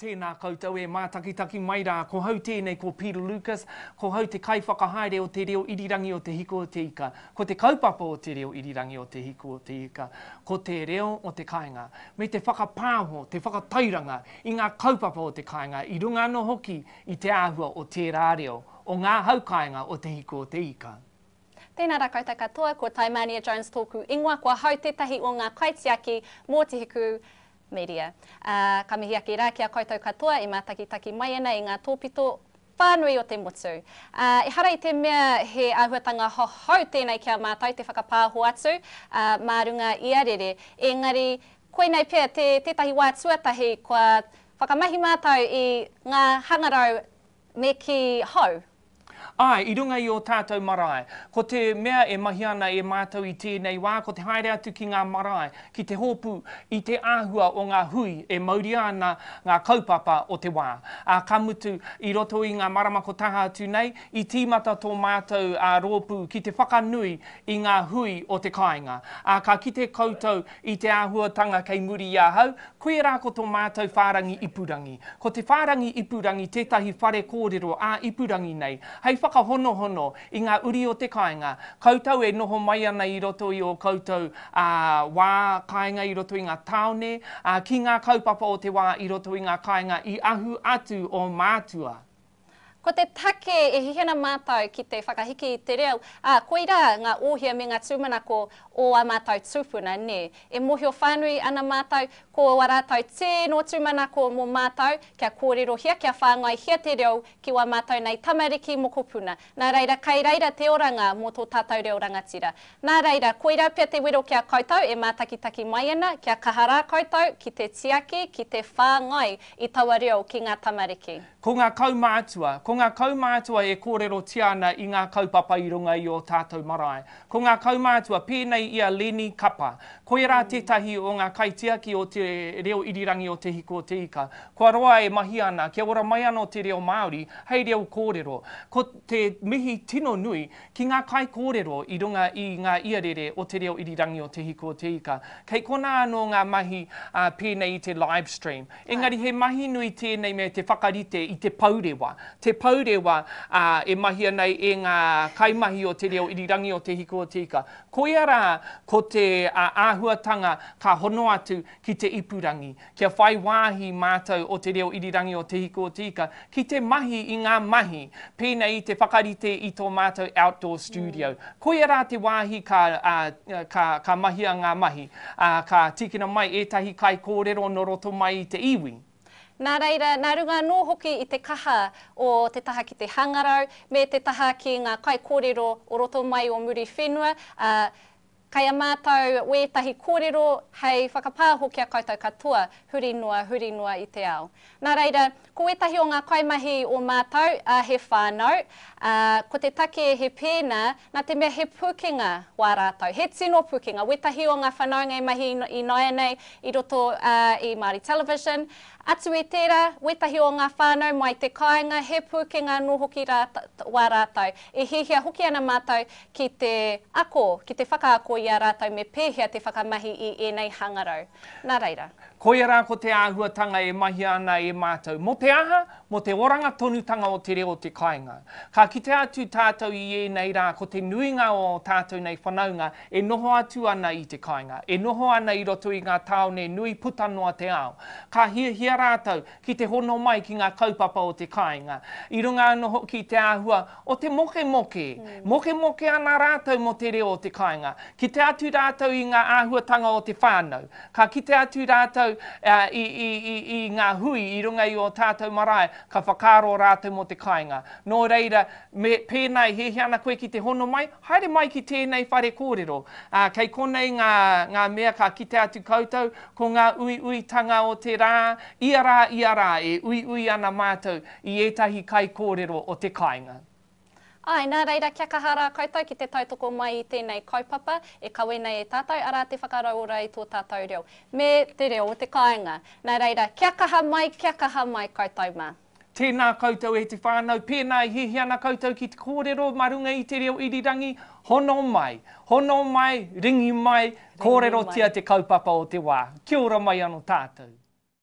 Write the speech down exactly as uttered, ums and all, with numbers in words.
Tēnā koutou e mātakitaki mai rā, ko hau tēnei ko Peter Lucas, ko hau te kaiwhakahaere o te reo irirangi o Te Hiku o Te Ika, ko te kaupapa o te reo irirangi o Te Hiku o Te Ika, ko te reo o te kāinga, me te whakapāho, te whakatairanga i ngā kaupapa o te kāinga i runga anō hoki i te āhua o tērā reo, o ngā hau kāinga o Te Hiku o Te Ika. Tēnā rā koutou katoa, ko Taimania Jones tōku ingoa, ko ahau tētahi o ngā kaitiaki mō Te Hiku Media. Uh, ka mihi ake rā ki a koutou katoa e mātakitaki mai ana i ngā tōpito whānui o te motu. Uh, ehara i te mea he āhuatanga hohou tēnei ki a mātou te whakapāho atu uh, mā runga iarere. Engari, koinei pea te, tētahi wā tuatahi kua whakamahi mātou i ngā hangarau me ki hou. Ai, i runga i o tātou marae. Ko te mea e mahi ana e mātou i tēnei wā, ko te haere atu ki ngā marae, ki te hōpū i te āhua o ngā hui e mauria ana ngā kaupapa o te wā. A, ka mutu, i roto i ngā marama ko taha atu nei, i tīmata tō mātou a, rōpū ki te whakanui i ngā hui o te kāinga. A, ka kite koutou i te āhuatanga kei muri i ahau, koe rā ko tō mātou whārangi ipurangi. Ko te whārangi ipurangi tētahi whare kōrero ā ipurangi nei, hei whakahonohono i ngā uri o te kāinga. Koutou e noho mai ana i roto i o koutou a, wā kāinga i roto i ngā tāone, a, ki ngā kaupapa o te wā i roto i ngā kāinga i ahu atu o mātua. Ko te take e hihena mātou ki te whakahiki i te reo, ā, koirā ngā ōhia me ngā tūmanako o a mātou tūpuna, nē. E mōhio whānui ana mātou, ko a rātou tēnō tūmanako mō mātou, kia kōrerohia, kia whāngaihia te reo ki wā mātou nei tamariki mokopuna. Nā reira, kai reira te oranga mō tō tātou reo rangatira. Nā reira, koirā pea te wero ki a koutou e mātakitaki mai ana, kia kaha rā koutou ki te tiaki, ki te whāngai i taua reo ki ngā tamariki. Ko ngā kaumātua, ko ngā kaumātua e kōrerotia ana i ngā kaupapa i runga i o tātou marae. Ko ngā kaumātua pēnei i a Leni Kapa. Koirā tētahi o ngā kaitiaki o te reo irirangi o Te Hiku o Te Ika. Kua roa e mahi ana, kia ora mai anō te reo Māori, hei reo kōrero. Ko te mihi tino nui ki ngā kaikōrero i runga i ngā iarere o te reo irirangi o Te Hiku o Te Ika. Kei kona anō ngā mahi uh, pēnei i te live stream. Engari he mahi nui tēnei me te whakarite i te pourewa. Te pourewa uh, e mahia nei e ngā kaimahi o te reo irirangi o Te Hiku o Te Ika. Koia rā ko te uh, āhuatanga ka hono atu ki te ipurangi, kia whai wāhi mātou o te reo irirangi o Te Hiku o Te Ika, ki te mahi i ngā mahi, pēnei i te whakarite i tō mātou outdoor studio. Mm. Koia rā te wāhi ka, uh, ka, ka mahia ngā mahi, uh, ka tīkina mai ētahi kaikōrero no roto mai i te iwi. Nā reira, nā runga anō hoki i te kaha o te taha ki te hangarau, me te taha ki ngā kaikōrero o roto mai o muri whenua, uh, kai a mātou wētahi kōrero hei whakapāho ki a koutou katoa, huri noa, huri noa i te ao. Nā reira, ko wētahi o ngā kaimahi o mātou, uh, he whānau, uh, ko te take he pēnā, nā te mea he pūkenga wā rātou, he tino pūkenga. Wētahi o ngā whanaunga e mahi i nāianei i roto uh, i Māori Television. Atu i tērā, wētahi o ngā whānau mai te kāinga, he pūkenga anō hoki rā, wā rātou. E hihia hoki ana mātou ki te ako, ki te whakaako i a rātou me pēhea te whakamahi i ēnei hangarau. Nā reira. Koia rā ko te āhuatanga e mahia ana e mātou. Mō te aha, mō te oranga tonutanga o te reo o te kāinga. Ka kite atu tātou i ēnei rā, ko te nuinga o tātou nei whanaunga e noho atu ana i te kāinga, e noho ana i roto i ngā tāone nui puta noa te ao. Ka hiahia rātou ki te hono mai ki ngā kaupapa o te kāinga. I runga anō hoki te āhua o te mokemoke. Mm. Mokemoke ana rātou mō te reo o te kāinga. Kite atu rātou i ngā āhuatanga o te whānau. Ka kite atu rātou uh, i, i, i, i ngā hui i runga i o tātou marae, ka whakaaro rātou mō te kāinga. Nō reira, me, pēnā e hiahia ana koe ki te hono mai, haere mai ki tēnei whare kōrero. Uh, kei konei ngā, ngā mea ka kite atu koutou, ko ngā uiuitanga o te rā, ia rā, ia rā, e uiui ana mātou i ētahi kaikōrero o te kāinga. Ai, nā reira, kia kaha rā koutou ki te tautoko mai i tēnei kaupapa e kawe nei e tātou, arā te whakarauora i tō tātou reo, me te reo o te kāinga. Nā reira, kia kaha mai, kia kaha mai koutou mā. Tēnā koutou e te whānau, pēnā e hiahia ana koutou ki te kōrero mā runga i te reo irirangi, hono mai, hono mai, ringi mai, kōrerotia te kaupapa o te wā. Kia ora mai anō tātou.